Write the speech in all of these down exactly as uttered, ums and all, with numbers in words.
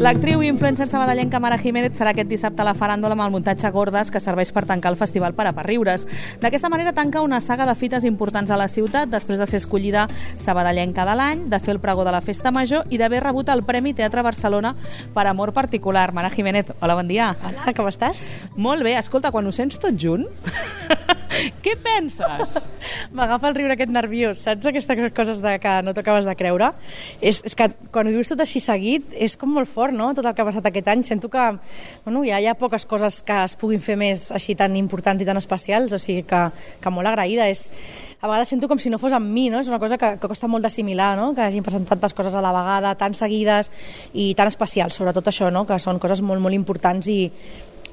L'actriu i influencer sabadellenca Mara Jiménez serà aquest dissabte a la faràndula amb el muntatge Gordes, que serveix per tancar el festival Per a per riures. D'aquesta manera tanca una saga de fites importants a la ciutat després de ser escollida sabadellenca de l'any, de fer el pregó de la Festa Major i d'haver rebut el Premi Teatre Barcelona per amor particular. Mara Jiménez, hola, bon dia. Hola, com estàs? Molt bé. Escolta, quan ho sents tot junt, què penses? M'agafa el riure aquest nerviós, saps? Aquestes coses de que no t'acabes de creure. És, és que quan ho dius tot així seguit és com molt fort, no?, tot el que ha passat aquest any. Sento que bueno, ja hi ha poques coses que es puguin fer més així tan importants i tan especials, o sigui que, que molt agraïda. És, a vegades sento com si no fos amb mi, no? És una cosa que, que costa molt d'assimilar, no?, que hagin passat tantes coses a la vegada, tan seguides i tan especials, sobretot això, no?, que són coses molt, molt importants i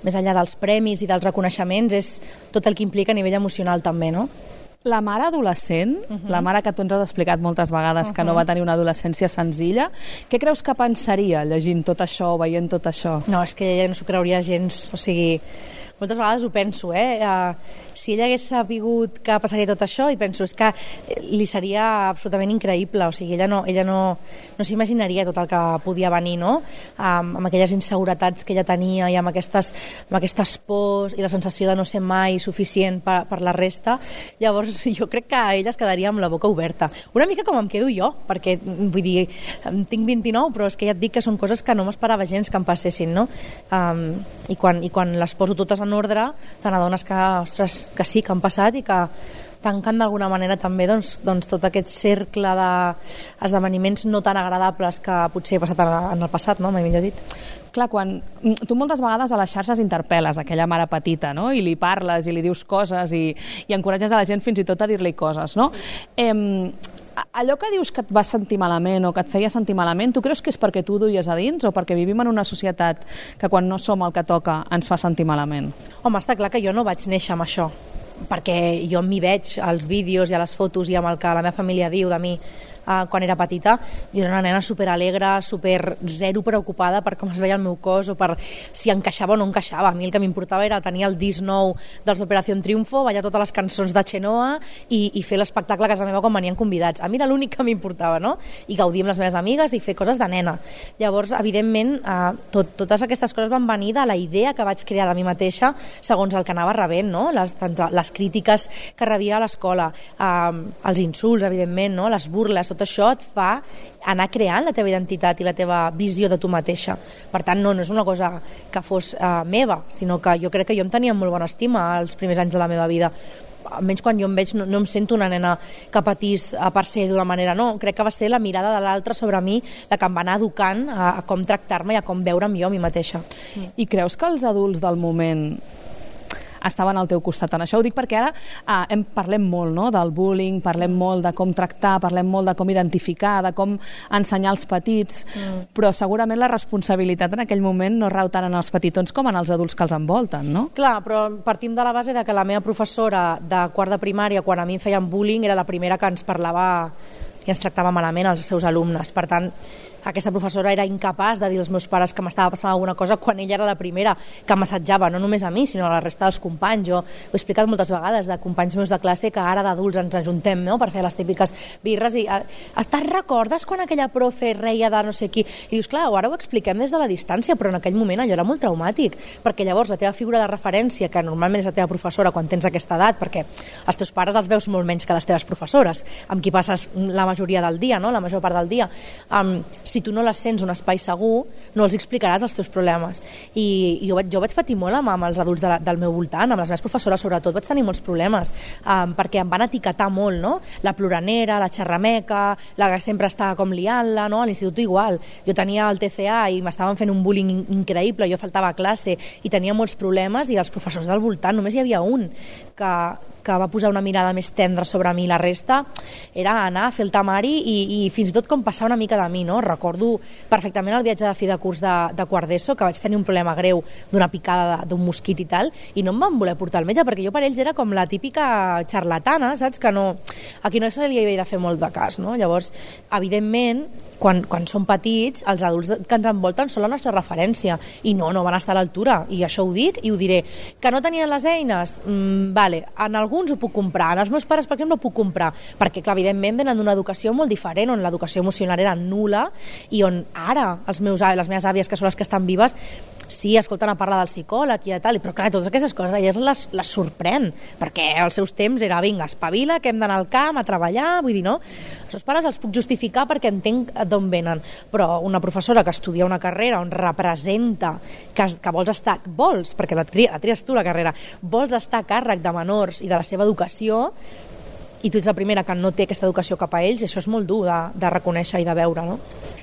més enllà dels premis i dels reconeixements és tot el que implica a nivell emocional també, no? La mare adolescent, uh -huh. la mare que tu ens has explicat moltes vegades uh -huh. que no va tenir una adolescència senzilla, què creus que pensaria llegint tot això o veient tot això? No, és que ella no s'ho creuria gens, o sigui, moltes vegades ho penso, eh? Uh, si ella hagués sabut que passaria tot això, i penso, és que li seria absolutament increïble, o sigui, ella no, ella no, no s'imaginaria tot el que podia venir, no? Um, amb aquelles inseguretats que ella tenia i amb aquestes, amb aquestes pors i la sensació de no ser mai suficient per, per la resta. Llavors, jo crec que ella es quedaria amb la boca oberta. Una mica com em quedo jo, perquè, vull dir, tinc vint-i-nou, però és que ja et dic que són coses que no m'esperava gens que em passessin, no? Um, i, quan, I quan les poso totes en ordre, te n'adones que, ostres, que sí, que han passat i que tancant d'alguna manera també doncs, doncs tot aquest cercle d'esdeveniments no tan agradables que potser he passat en el passat, no? Mai millor dit. Clar, quan tu moltes vegades a les xarxes interpel·les aquella mare petita, no?, i li parles i li dius coses i, i encoratges a la gent fins i tot a dir-li coses, no? Eh, allò que dius que et vas sentir malament o que et feia sentir malament, tu creus que és perquè tu ho duies a dins o perquè vivim en una societat que quan no som el que toca ens fa sentir malament? Home, està clar que jo no vaig néixer amb això, perquè jo m'hi veig als vídeos i a les fotos i amb el que la meva família diu de mi Uh, quan era petita. Jo era una nena superalegre, super zero preocupada per com es veia el meu cos o per si encaixava o no encaixava. A mi el que m'importava era tenir el disc nou dels Operació Triunfo, ballar totes les cançons de Chenoa i, i fer l'espectacle a casa meva quan venien convidats. A mi era l'únic que m'importava, no? I gaudir amb les meves amigues i fer coses de nena. Llavors, evidentment, uh, tot, totes aquestes coses van venir de la idea que vaig crear de mi mateixa segons el que anava rebent, no? Les, les crítiques que rebia a l'escola, uh, els insults, evidentment, no? Les burles, tot això et fa anar creant la teva identitat i la teva visió de tu mateixa. Per tant, no, no és una cosa que fos uh, meva, sinó que jo crec que jo em tenia molt bona estima als primers anys de la meva vida. Almenys quan jo em veig no, no em sento una nena que patís a per ser d'una manera, no, crec que va ser la mirada de l'altre sobre mi la que em va anar educant a, a com tractar-me i a com veure'm jo a mi mateixa. I creus que els adults del moment estaven al teu costat en això? Ho dic perquè ara eh, hem, parlem molt, no?, del bullying, parlem molt de com tractar, parlem molt de com identificar, de com ensenyar als petits, mm. però segurament la responsabilitat en aquell moment no rau tant en els petitons com en els adults que els envolten, no? Clar, però partim de la base de que la meva professora de quart de primària, quan a mi em feien bullying, era la primera que ens parlava i ens tractava malament als seus alumnes. Per tant, aquesta professora era incapaç de dir als meus pares que m'estava passant alguna cosa quan ella era la primera que m'assetjava, no només a mi, sinó a la resta dels companys. Jo ho he explicat moltes vegades de companys meus de classe que ara d'adults ens ajuntem, no?, per fer les típiques birres i te'n recordes quan aquella profe reia de no sé qui? I dius, clar, ara ho expliquem des de la distància, però en aquell moment allò era molt traumàtic, perquè llavors la teva figura de referència, que normalment és la teva professora quan tens aquesta edat, perquè els teus pares els veus molt menys que les teves professores, amb qui passes la majoria del dia, no?, la major part del dia, um, si tu no les sents un espai segur, no els explicaràs els teus problemes. I, i jo, vaig, jo vaig patir molt amb, amb els adults de la, del meu voltant, amb les meves professores sobretot, vaig tenir molts problemes, um, perquè em van etiquetar molt, no? La ploranera, la xerrameca, la que sempre estava com liant-la, no? A l'institut igual. Jo tenia el T C A i m'estaven fent un bullying increïble, jo faltava a classe i tenia molts problemes i els professors del voltant, només hi havia un que, que va posar una mirada més tendra sobre mi. La resta era anar a fer el temari i, i fins i tot com passar una mica de mi, no? Recordo perfectament el viatge de fi de curs de, de quart d'ESO, que vaig tenir un problema greu d'una picada d'un mosquit i tal, i no em van voler portar al metge, perquè jo per ells era com la típica xarlatana, saps? Que no, a qui no se li havia de fer molt de cas, no? Llavors, evidentment, quan, quan som petits, els adults que ens envolten són la nostra referència, i no, no van estar a l'altura, i això ho dic i ho diré. Que no tenien les eines? Mm, vale, en alguns ho puc comprar, en els meus pares, per exemple, ho puc comprar, perquè, clar, evidentment, venen d'una educació molt diferent, on l'educació emocional era nul·la, i on ara els meus, les meves àvies, que són les que estan vives, sí, escolten a parlar del psicòleg i tal, però clar, totes aquestes coses elles les, les sorprèn, perquè als seus temps era, vinga, espavila, que hem d'anar al camp a treballar, vull dir, no? Els seus pares els puc justificar perquè entenc d'on venen, però una professora que estudia una carrera on representa que, que vols estar, vols, perquè la, tria, la tries tu la carrera, vols estar a càrrec de menors i de la seva educació, i tu ets la primera que no té aquesta educació cap a ells, i això és molt dur de, de reconèixer i de veure, no?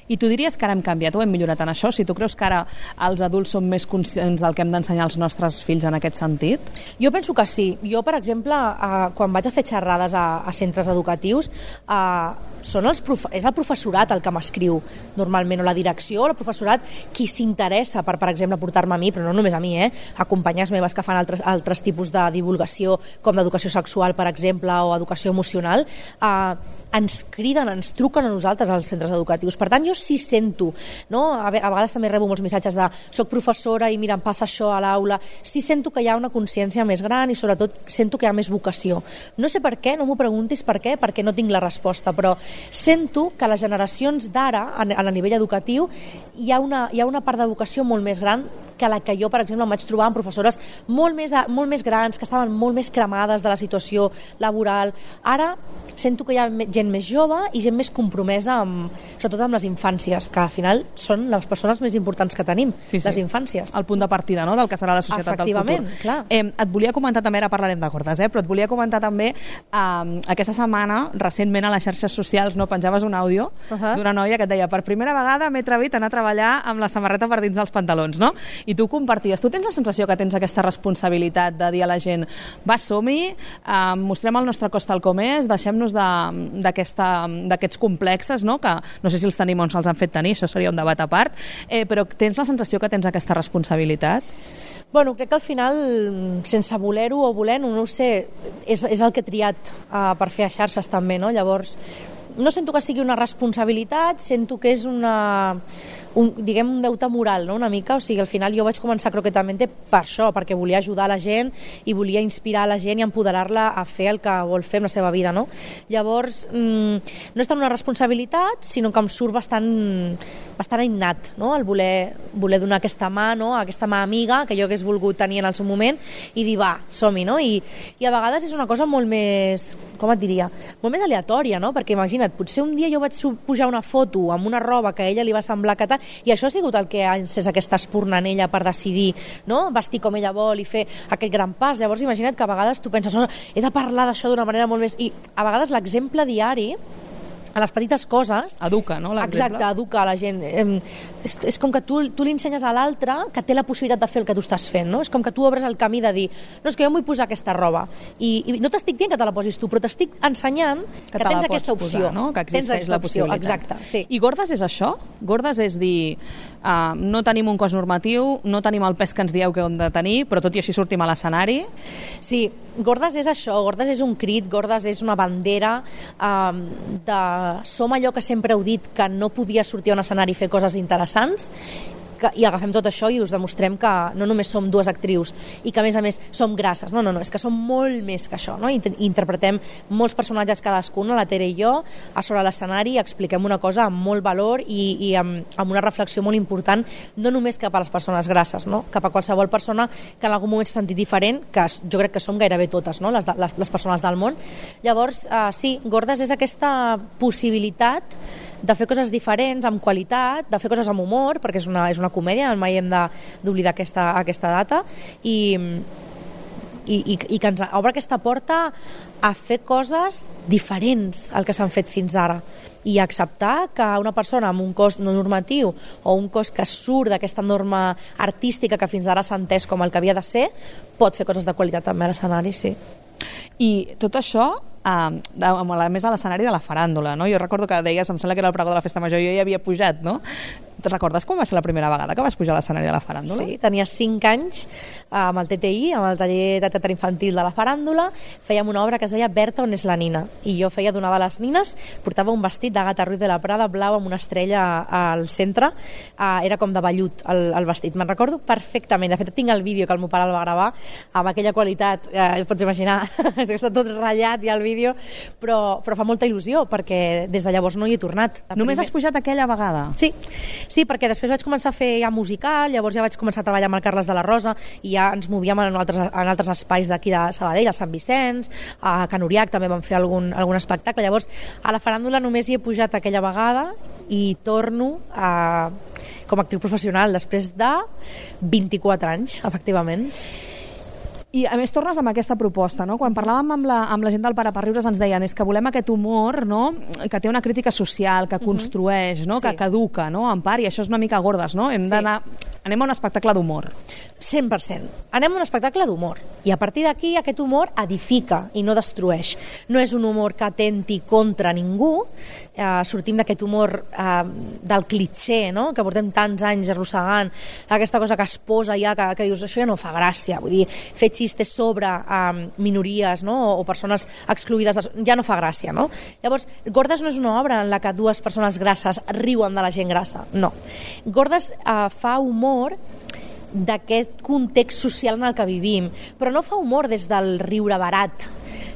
I tu diries que ara hem canviat o hem millorat en això? Si tu creus que ara els adults som més conscients del que hem d'ensenyar als nostres fills en aquest sentit? Jo penso que sí. Jo, per exemple, eh, quan vaig a fer xerrades a, a centres educatius, eh, són els prof... és el professorat el que m'escriu normalment, o la direcció, o el professorat qui s'interessa per, per exemple, portar-me a mi, però no només a mi, eh? a companyes meves que fan altres, altres tipus de divulgació, com d'educació sexual, per exemple, o educació emocional, eh, ens criden, ens truquen a nosaltres als centres educatius. Per tant, jo sí sento, no? a vegades també rebo molts missatges de soc professora i mira, em passa això a l'aula. Sí sento que hi ha una consciència més gran i sobretot sento que hi ha més vocació. No sé per què, no m'ho preguntis per què, perquè no tinc la resposta, però sento que les generacions d'ara, a, a nivell educatiu, hi ha, una, hi ha una part de vocació molt més gran que la que jo, per exemple, em vaig trobar amb professores molt més, molt més grans, que estaven molt més cremades de la situació laboral. Ara sento que hi ha gent més jove i gent més compromesa, amb, sobretot amb les infàncies, que al final són les persones més importants que tenim, sí, sí. les infàncies. El punt de partida, no?, del que serà la societat del futur. Clar. Eh, et volia comentar també, ara parlarem de cordes, eh, però et volia comentar també eh, aquesta setmana, recentment a les xarxes socials, no penjaves un àudio uh -huh. d'una noia que et deia, per primera vegada m'he atrevit a anar a treballar amb la samarreta per dins dels pantalons, no? I tu comparties. Tu tens la sensació que tens aquesta responsabilitat de dir a la gent, va, som-hi, eh, mostrem el nostre cos tal com és, deixem-nos d'aquests complexes, no?, que no sé si els tenim o ens els han fet tenir, això seria un debat a part, eh, però tens la sensació que tens aquesta responsabilitat? Bueno, crec que al final, sense voler-ho o volent, no ho sé, és, és el que he triat uh, per fer a xarxes també, no? Llavors, no sento que sigui una responsabilitat, sento que és una... un, diguem, un deute moral, no?, una mica, o sigui, al final jo vaig començar Croquetamente per això, perquè volia ajudar la gent i volia inspirar la gent i empoderar-la a fer el que vol fer amb la seva vida, no? Llavors, mmm, no és tant una responsabilitat, sinó que em surt bastant, bastant innat, no?, el voler, voler donar aquesta mà, no?, aquesta mà amiga que jo hagués volgut tenir en el seu moment i dir, va, som-hi, no? I, i a vegades és una cosa molt més, com et diria, molt més aleatòria, no?, perquè imagina't, potser un dia jo vaig pujar una foto amb una roba que a ella li va semblar que tal, i això ha sigut el que ha encès aquesta espurna en ella per decidir, no?, vestir com ella vol i fer aquest gran pas. Llavors imagina't que a vegades tu penses, oh, he de parlar d'això d'una manera molt més... I a vegades l'exemple diari a les petites coses... Educa, no?, l'exemple. Exacte, educa a la gent. Eh, és, és com que tu, tu li ensenyes a l'altre que té la possibilitat de fer el que tu estàs fent, no? És com que tu obres el camí de dir, no, és que jo em vull posar aquesta roba. I, i no t'estic dient que te la posis tu, però t'estic ensenyant que, que tens aquesta opció. Posar, no? Que existeix la possibilitat. Exacte, sí. I Gordes és això? Gordes és dir, uh, no tenim un cos normatiu, no tenim el pes que ens dieu que hem de tenir, però tot i així sortim a l'escenari? Sí, Gordes és això, Gordes és un crit, Gordes és una bandera um, de som allò que sempre heu dit que no podia sortir a un escenari i fer coses interessants, que, i agafem tot això i us demostrem que no només som dues actrius i que a més a més som grasses, no, no, no, és que som molt més que això, no? I interpretem molts personatges cadascuna, la Tere i jo, a sobre l'escenari, expliquem una cosa amb molt valor i, i amb, amb una reflexió molt important, no només cap a les persones grasses, no? Cap a qualsevol persona que en algun moment s'ha sentit diferent, que jo crec que som gairebé totes, no?, les, de, les, les persones del món. Llavors, eh, sí, Gordes és aquesta possibilitat de fer coses diferents, amb qualitat, de fer coses amb humor, perquè és una, és una comèdia, mai hem d'oblidar aquesta, aquesta data, i, i, i, i que ens obre aquesta porta a fer coses diferents al que s'han fet fins ara i acceptar que una persona amb un cos no normatiu o un cos que surt d'aquesta norma artística que fins ara s'ha entès com el que havia de ser, pot fer coses de qualitat també a l'escenari, sí. I tot això Uh, a més a l'escenari de la faràndula, no? Jo recordo que deies, em sembla que era el pregó de la Festa Major, jo hi havia pujat, no? Te'n recordes com va ser la primera vegada que vas pujar a l'escenari de la faràndula? Sí, tenia cinc anys amb el T T I, amb el taller de teatre infantil de la faràndula, fèiem una obra que es deia Berta, on és la nina? I jo feia d'una de les nines, portava un vestit d'Àgata Ruiz de la Prada blau amb una estrella al centre, uh, era com de vellut el, el vestit, me'n recordo perfectament. De fet, tinc el vídeo que el meu pare el va gravar amb aquella qualitat, eh, pots imaginar, està tot ratllat ja el vídeo, però, però fa molta il·lusió, perquè des de llavors no hi he tornat. La Només primer... has pujat aquella vegada? Sí, sí, perquè després vaig començar a fer ja musical, llavors ja vaig començar a treballar amb el Carles de la Rosa i ja ens movíem en altres, en altres espais d'aquí de Sabadell, al Sant Vicenç, a Can Uriac també vam fer algun, algun espectacle. Llavors, a la faràndula només hi he pujat aquella vegada i torno a, com a actriu professional després de vint-i-quatre anys, efectivament. I a més tornes amb aquesta proposta, no? Quan parlàvem amb la, amb la gent del Para per Riures ens deien és que volem aquest humor, no? Que té una crítica social, que construeix, no? Sí. Que, que educa, no? En part, i això és una mica gordes, no? Hem d'anar... Anem a un espectacle d'humor. cent per cent. Anem a un espectacle d'humor. I a partir d'aquí aquest humor edifica i no destrueix. No és un humor que atenti contra ningú. Eh, sortim d'aquest humor eh, del clitxer, no? Que portem tants anys arrossegant. Aquesta cosa que es posa ja, que, que dius, això ja no fa gràcia. Vull dir, fer xistes sobre eh, minories, no? O, o persones excluïdes, ja no fa gràcia, no? Llavors, Gordes no és una obra en la que dues persones grasses riuen de la gent grassa. No. Gordes eh, fa humor d'aquest context social en el que vivim, però no fa humor des del riure barat,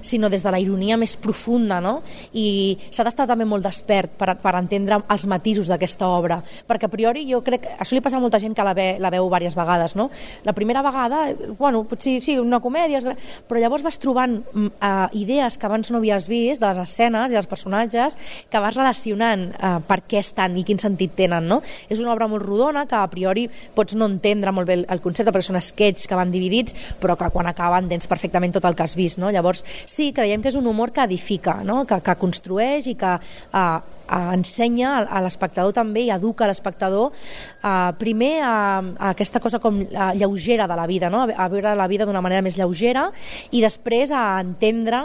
sinó des de la ironia més profunda, no? I s'ha d'estar també molt despert per, per entendre els matisos d'aquesta obra, perquè a priori jo crec, això li passa a molta gent que la, ve, la veu diverses vegades, no? La primera vegada, bueno, potser sí, una comèdia, però llavors vas trobant uh, idees que abans no havies vist, de les escenes i dels personatges, que vas relacionant uh, per què estan i quin sentit tenen, no? És una obra molt rodona que a priori pots no entendre molt bé el, el concepte, perquè són sketches que van dividits, però que quan acaben tens perfectament tot el que has vist, no? Llavors, sí, creiem que és un humor que edifica, no? que, que construeix i que eh, eh, ensenya a, a l'espectador també i educa l'espectador eh, primer a, a aquesta cosa com a, lleugera de la vida, no? a, a veure la vida d'una manera més lleugera i després a entendre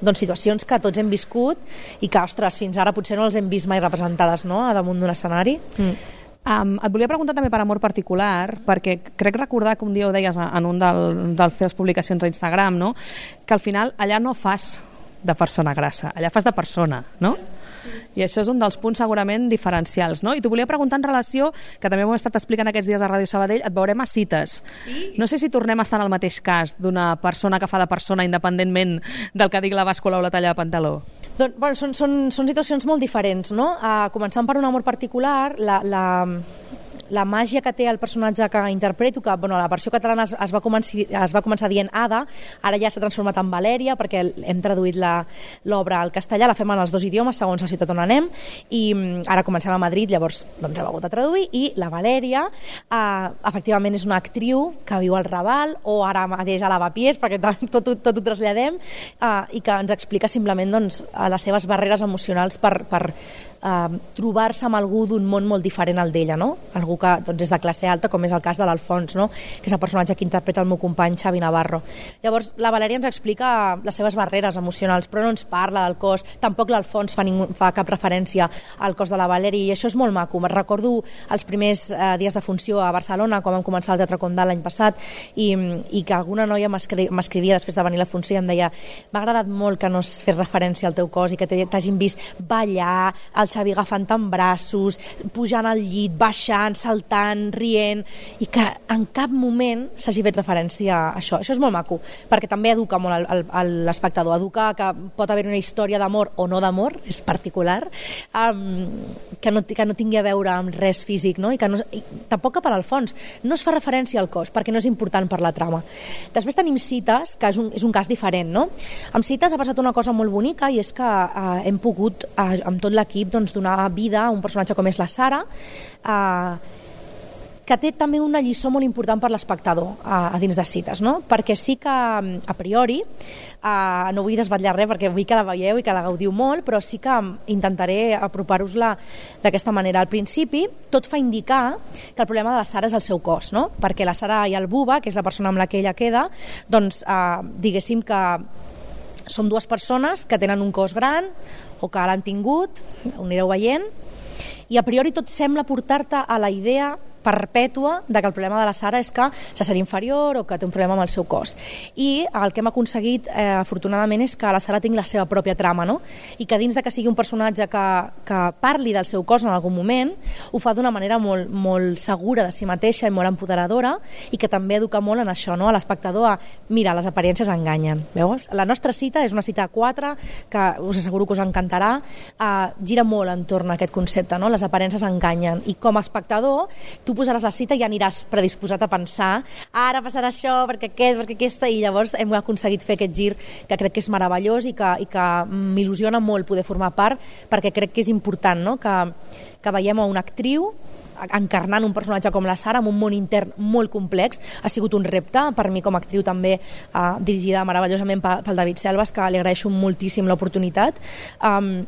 doncs, situacions que tots hem viscut i que, ostres, fins ara potser no les hem vist mai representades, no? A damunt d'un escenari. Mm. Um, et volia preguntar també per amor particular, perquè crec recordar que un dia ho deies en un del, dels teves publicacions a Instagram, no? Que al final allà no fas de persona grassa, allà fas de persona, no? Sí. I això és un dels punts segurament diferencials, no? I t'ho volia preguntar en relació, que també ho hem estat explicant aquests dies a Ràdio Sabadell, et veurem a Cites. Sí? No sé si tornem a estar en el mateix cas d'una persona que fa de persona independentment del que digui la bàscula o la talla de pantaló. Doncs, bueno, són, són, són situacions molt diferents, no? Uh, començant per un amor particular, la, la, la màgia que té el personatge que interpreto, que bueno, la versió catalana es, es, va començar, es va començar dient Ada, ara ja s'ha transformat en Valèria, perquè hem traduït l'obra al castellà, la fem en els dos idiomes, segons la ciutat on anem, i ara comencem a Madrid, llavors doncs, hem hagut de traduir, i la Valèria, eh, efectivament és una actriu que viu al Raval, o ara mateix a Lavapiés, perquè tot, tot, tot ho traslladem, eh, i que ens explica simplement doncs, les seves barreres emocionals per, per eh, trobar-se amb algú d'un món molt diferent al d'ella, no? Algú que doncs, és de classe alta, com és el cas de l'Alfons, no? Que és el personatge que interpreta el meu company Xavi Navarro. Llavors, la Valèria ens explica les seves barreres emocionals, però no ens parla del cos, tampoc l'Alfons fa, ningú, fa cap referència al cos de la Valèria, i això és molt maco. Me'n recordo els primers eh, dies de funció a Barcelona, quan vam començar el Teatre Condal l'any passat, i, i que alguna noia m'escrivia després de venir la funció i em deia, m'ha agradat molt que no es fes referència al teu cos i que t'hagin vist ballar, el Xavi agafant en braços, pujant al llit, baixant, saltant, rient, i que en cap moment s'hagi fet referència a això. Això és molt maco, perquè també educa molt l'espectador, educa que pot haver una història d'amor o no d'amor, és particular, um, que, no, que no tingui a veure amb res físic, no? I que no, i tampoc cap a l'Alfons, no es fa referència al cos, perquè no és important per la trama. Després tenim Cites, que és un, és un cas diferent, no? Amb Cites ha passat una cosa molt bonica, i és que eh, hem pogut, eh, amb tot l'equip, doncs, donar vida a un personatge com és la Sara, eh, que té també una lliçó molt important per l'espectador a, a dins de Cites, no? Perquè sí que, a priori, uh, no vull desvetllar res perquè vull que la veieu i que la gaudiu molt, però sí que intentaré apropar-vos-la d'aquesta manera. Al principi, tot fa indicar que el problema de la Sara és el seu cos, no? Perquè la Sara i el Buba, que és la persona amb la que ella queda, doncs, uh, diguéssim que són dues persones que tenen un cos gran o que l'han tingut, ho anireu veient, i a priori tot sembla portar-te a la idea perpètua de que el problema de la Sara és que se sent inferior o que té un problema amb el seu cos. I el que hem aconseguit, eh, afortunadament, és que la Sara tingui la seva pròpia trama, no? I que dins de que sigui un personatge que, que parli del seu cos en algun moment, ho fa d'una manera molt, molt segura de si mateixa i molt empoderadora, i que també educa molt en això, no? A l'espectador a, mira, les aparences enganyen. Veus? La nostra cita és una cita a quatre, que us asseguro que us encantarà, eh, gira molt entorn a aquest concepte, no? Les aparences enganyen. I com a espectador, tu posaràs la cita i ja aniràs predisposat a pensar ara passarà això, perquè aquest, perquè aquesta, i llavors hem aconseguit fer aquest gir que crec que és meravellós i que, i que m'il·lusiona molt poder formar part, perquè crec que és important, no? que, que veiem a una actriu encarnant un personatge com la Sara amb un món intern molt complex. Ha sigut un repte per mi com a actriu també, eh, dirigida meravellosament pel David Selves, que li agraeixo moltíssim l'oportunitat. Um,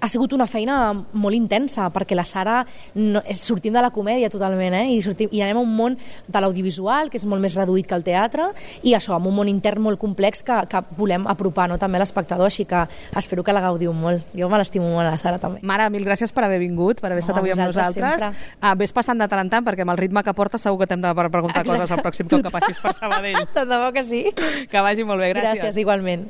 ha sigut una feina molt intensa, perquè la Sara no, sortim de la comèdia totalment, eh? I, sortim, i anem a un món de l'audiovisual, que és molt més reduït que el teatre, i això, amb un món intern molt complex que, que volem apropar, no? També a l'espectador, així que espero que la gaudiu molt. Jo me l'estimo molt, a la Sara, també. Mare, mil gràcies per haver vingut, per haver estat no, avui amb nosaltres. Ah, ves passant de tant en tant, perquè amb el ritme que portes segur que t'hem de preguntar Exacte. Coses al pròxim cop que passis per Sabadell. Tant de bo que sí. Que vagi molt bé, gràcies. Gràcies, igualment.